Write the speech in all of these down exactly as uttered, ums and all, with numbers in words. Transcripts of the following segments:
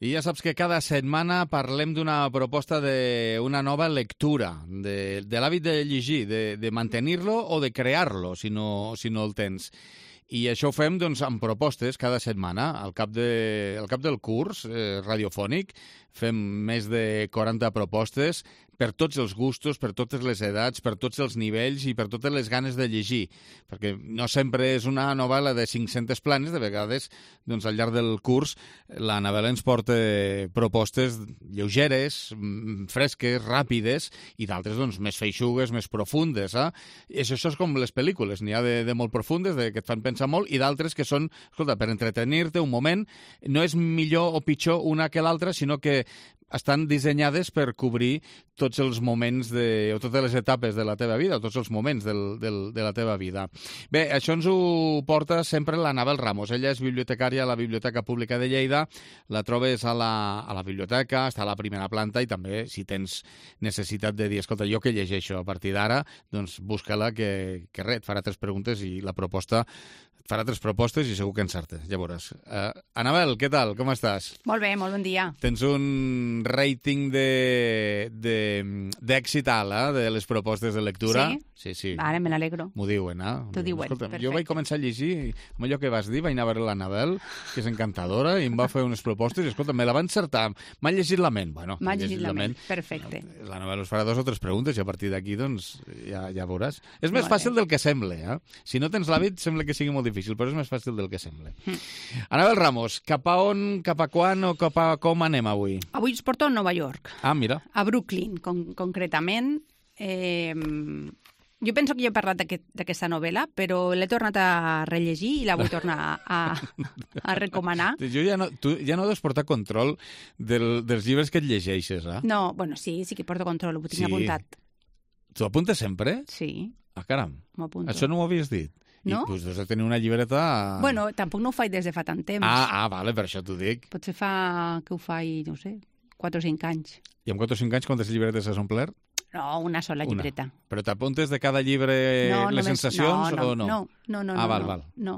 I ja saps que cada setmana parlem d'una proposta d'una nova lectura, de, de l'hàbit de llegir, de, de mantenir-lo o de crear-lo, si no, si no el tens. I això ho fem doncs, amb propostes cada setmana. Al cap, de, al cap del curs eh, radiofònic fem més de quaranta propostes per tots els gustos, per totes les edats, per tots els nivells i per totes les ganes de llegir. Perquè no sempre és una novel·la de cinc-centes planes, de vegades doncs, al llarg del curs la novel·la ens porta propostes lleugeres, fresques, ràpides i d'altres doncs, més feixugues, més profundes. Eh? I això, això és com les pel·lícules, n'hi ha de, de molt profundes, de, que et fan pensar molt, i d'altres que són, escolta, per entretenir-te un moment, no és millor o pitjor una que l'altra, sinó que estan dissenyades per cobrir tots els moments de, o totes les etapes de la teva vida, o tots els moments del, del, de la teva vida. Bé, això ens ho porta sempre l'Anabel Ramos. Ella és bibliotecària a la Biblioteca Pública de Lleida, la trobes a la, a la biblioteca, està a la primera planta i també, si tens necessitat de dir, escolta, jo que llegeixo a partir d'ara, doncs busca-la que, que res, et farà tres preguntes i la proposta et farà tres propostes i segur que encertes, ja veuràs. Uh, Anabel, què tal? Com estàs? Molt bé, molt bon dia. Tens un rating de, de, d'èxit alt, eh, de les propostes de lectura. Sí? Sí, sí. Ara me n'alegro. M'ho diuen, eh? T'ho diuen, Escolta, perfecte. jo vaig començar a llegir, amb allò que vas dir, vaig anar a veure l'Anabel, que és encantadora, i em va fer unes propostes, i escolta, me la va encertar. M'ha llegit la ment. Bueno, M'ha llegit la ment, perfecte. L'Anabel us farà dos o tres preguntes, i a partir d'aquí, doncs, ja, ja veuràs. És més Molt fàcil bé. del que sembla, eh? Si no tens l'hàbit, sembla que sigui molt difícil, però és més fàcil del que sembla. Mm. Anabel Ramos, cap a on, cap a quan o cap a com anem avui? Avui us porto a Nova York. Ah, mira. A Brooklyn, con concretament. Eh, jo penso que jo he parlat d'aquesta novel·la, però l'he tornat a rellegir i la vull tornar a, a recomanar. Jo ja no, tu ja no deus portar control del, dels llibres que et llegeixes, eh? No, bueno, sí, sí que porto control, ho tinc Sí. apuntat. Tu apuntes sempre? Sí, Ah, caram. m'ho apunto. Això no m'ho havies dit. No? I doncs has de tenir una llibreta... Bueno, tampoc no ho faig des de fa tant temps. Ah, ah, vale, per això t'ho dic. Potser fa que ho faig, no sé, quatre o cinc anys. I amb quatre o cinc anys, quantes llibretes has omplert? No, una sola Una. llibreta. Però t'apuntes de cada llibre No, les només- sensacions no, no, o no? No, no, no. Ah, no, val, no, val. No,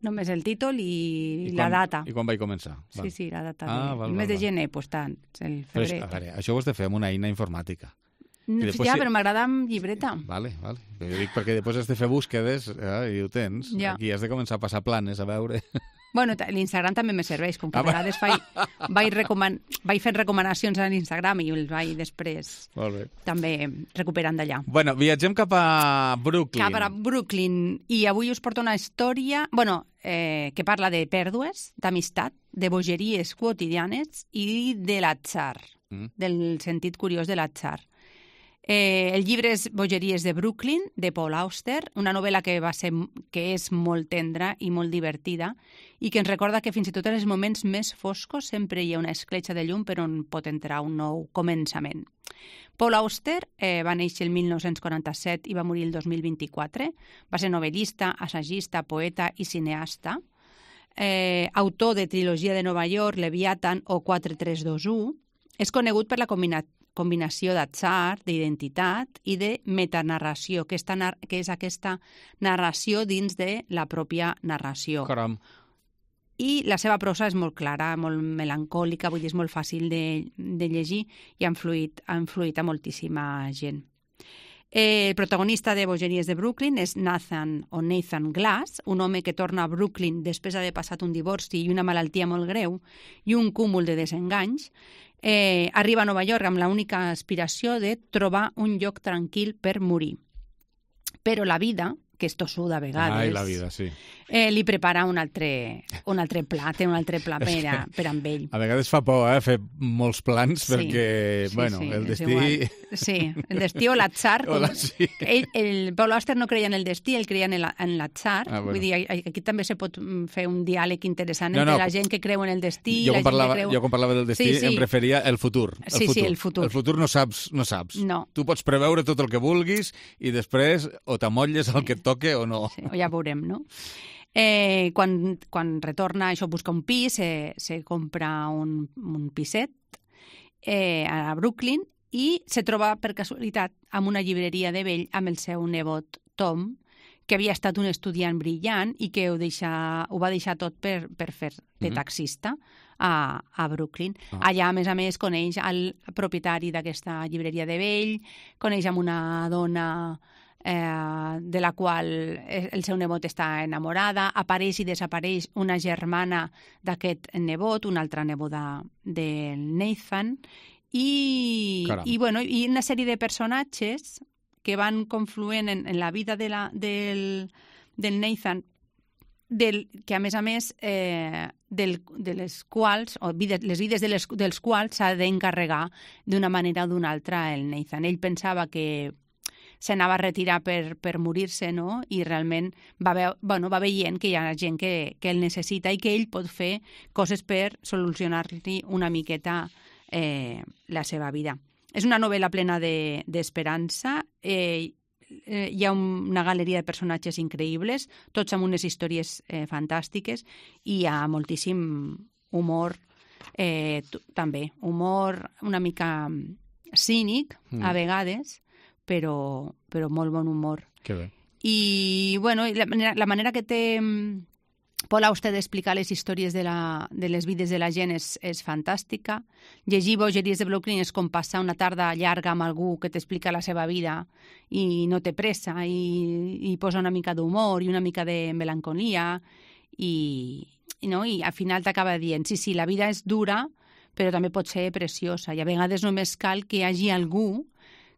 només el títol i, I la quan- data. I quan vaig començar? Sí, sí, la data. Ah, de... val, el mes val, de val. gener, doncs tant, el Però, és- febrer. a veure, això ho has de fer amb una eina informàtica. No, després ja, sí- però m'agrada amb llibreta. Vale, vale. Jo dic perquè després has de fer búsquedes eh, i ho tens. Ja. Aquí has de començar a passar planes, a veure... Bueno, ta- l'Instagram també me serveix, com que Ah, a vegades vaig, vaig, recoman... vaig fent recomanacions a l'Instagram i els vaig després Molt bé. també recuperant d'allà. Bueno, viatgem cap a Brooklyn. Cap a Brooklyn. I avui us porto una història bueno, eh, que parla de pèrdues, d'amistat, de bogeries quotidianes i de l'atzar, Mm. del sentit curiós de l'atzar. Eh, el llibre és Bogeries de Brooklyn, de Paul Auster, una novel·la que, va ser, que és molt tendra i molt divertida i que ens recorda que fins i tot en els moments més foscos sempre hi ha una escletxa de llum per on pot entrar un nou començament. Paul Auster eh, va néixer el mil nou-cents quaranta-set i va morir el dos mil vint-i-quatre. Va ser novel·lista, assagista, poeta i cineasta. Eh, autor de trilogia de Nova York, Leviathan o quatre tres dos u. És conegut per la combina combinació d'atzar, d'identitat i de metanarració, que, esta, que és aquesta narració dins de la pròpia narració. Caram. I la seva prosa és molt clara, molt melancòlica, vull dir, és molt fàcil de, de llegir i ha influït, ha influït a moltíssima gent. Eh, el protagonista de Bogeries de Brooklyn és Nathan o Nathan Glass, un home que torna a Brooklyn després d'haver passat un divorci i una malaltia molt greu i un cúmul de desenganys. Eh, arriba a Nova York amb l'única aspiració de trobar un lloc tranquil per morir. Però la vida, que és tossuda a vegades, Ai, la vida, sí. eh, li prepara un altre, un altre pla, té un altre pla per, a, per amb ell. A vegades fa por, eh, fer molts plans, Sí, perquè, sí, bueno, sí, el és destí... igual. Sí, el destí o l'atzar. O la- com- sí. Ell, el Paul Auster no creia en el destí, ell creia en el- en l'atzar. Ah, bueno. Vull dir, aquí també se pot mm, fer un diàleg interessant No, entre no. la gent que creu en el destí i Jo la quan, gent parlava, que creu... jo quan parlava del destí Sí, sí. em referia al futur. El Sí, sí, futur. el futur. El futur no saps, no saps. No. Tu pots preveure tot el que vulguis i després o t'amolles el que et toque o no. Sí, ja veurem, no? Eh, quan, quan retorna, això busca un pis, se, se compra un, un piset eh, a Brooklyn i se troba per casualitat amb una llibreria de vell amb el seu nebot Tom, que havia estat un estudiant brillant i que ho, deixa, ho va deixar tot per, per fer de taxista a, a Brooklyn. Ah. Allà, a més a més, coneix el propietari d'aquesta llibreria de vell, coneix amb una dona eh, de la qual el seu nebot està enamorada, apareix i desapareix una germana d'aquest nebot, una altra neboda del Nathan, i, i, bueno, i una sèrie de personatges que van confluent en, en la vida de la, del, del Nathan, del, que a més a més eh, del, de les quals, o vides, les vides de les, dels quals s'ha d'encarregar d'una manera o d'una altra el Nathan. Ell pensava que s'anava a retirar per, per morir-se, no? I realment va, ve, bueno, va veient que hi ha gent que, que el necessita i que ell pot fer coses per solucionar-li una miqueta eh, la seva vida. És una novel·la plena d'esperança, de, eh, eh, hi ha un, una galeria de personatges increïbles, tots amb unes històries eh, fantàstiques, i hi ha moltíssim humor, eh, també, humor una mica cínic, mm. a vegades, però, però molt bon humor. Que bé. I, bueno, la, la manera que té Paul Auster d'explicar les històries de, la, de les vides de la gent és, és fantàstica. Llegir Bogeries de Brooklyn és com passar una tarda llarga amb algú que t'explica la seva vida i no té pressa i, i posa una mica d'humor i una mica de melancolia i, i, no? I al final t'acaba dient, sí, sí, la vida és dura, però també pot ser preciosa i a vegades només cal que hi hagi algú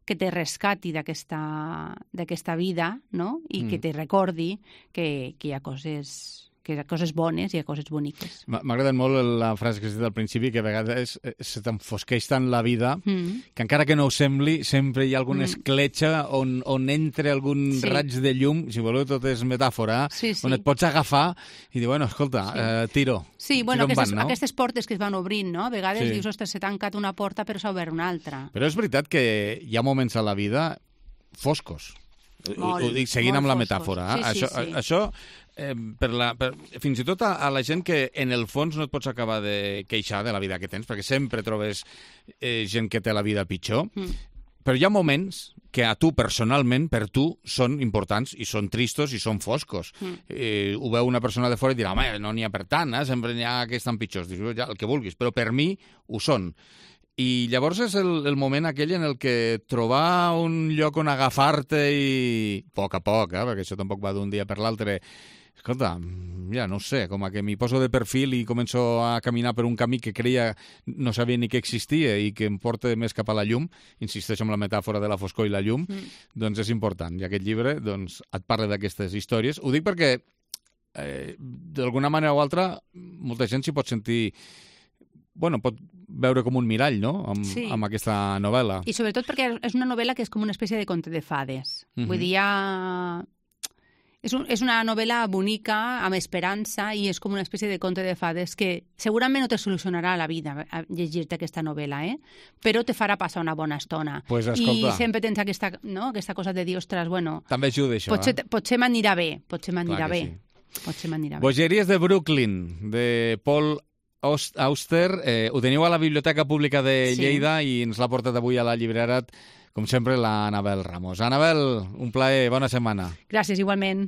que te rescati d'aquesta vida, no? I mm. que te recordi que, que hi ha coses que hi ha coses bones i hi ha coses boniques. M'ha agradat molt la frase que has dit al principi, que a vegades se t'enfosqueix tant la vida mm. que encara que no ho sembli, sempre hi ha alguna mm. escletxa on, on entra algun sí. raig de llum, si voleu tot és metàfora, sí, sí. on et pots agafar i dir, bueno, escolta, sí. eh, tiro. Sí, bueno, tiro aquestes, van, no? aquestes portes que es van obrint, no? A vegades sí. dius, ostres, s'ha tancat una porta però s'ha obert una altra. Però és veritat que hi ha moments a la vida foscos. Molt, ho dic seguint amb la foscos. metàfora. Sí, sí, això, sí. això eh, per la, per, fins i tot a, a la gent que en el fons no et pots acabar de queixar de la vida que tens, perquè sempre trobes eh, gent que té la vida pitjor, mm. però hi ha moments que a tu personalment, per tu, són importants i són tristos i són foscos. Mm. Eh, ho veu una persona de fora i dirà, home, no n'hi ha per tant, eh? Sempre n'hi ha que estan pitjors. Dius, ja, el que vulguis, però per mi ho són. I llavors és el, el moment aquell en el que trobar un lloc on agafar-te i a poc a poc, eh, perquè això tampoc va d'un dia per l'altre, escolta, ja no sé, com a que m'hi poso de perfil i començo a caminar per un camí que creia no sabia ni que existia i que em porta més cap a la llum, insisteixo en la metàfora de la foscor i la llum, mm. doncs és important. I aquest llibre doncs, et parla d'aquestes històries. Ho dic perquè, eh, d'alguna manera o altra, molta gent s'hi pot sentir... Bueno, pot veure com un mirall, no?, amb, sí. amb aquesta novel·la. I sobretot perquè és una novel·la que és com una espècie de conte de fades. Uh-huh. Vull dir, ja... És, un, és una novel·la bonica, amb esperança, i és com una espècie de conte de fades que segurament no te solucionarà la vida a llegir-te aquesta novel·la, eh? Però te farà passar una bona estona. Pues escolta. I sempre tens aquesta, no? aquesta cosa de dir, ostres, bueno... També ajuda això, potser, eh? Potser m'anirà bé, potser m'anirà bé. Sí. Potser m'anirà bé. Bogeries de Brooklyn, de Paul Auster, eh, ho teniu a la Biblioteca Pública de Lleida sí. i ens l'ha portat avui a la llibrera, com sempre, la Anabel Ramos. Anabel, un plaer, bona setmana. Gràcies, igualment.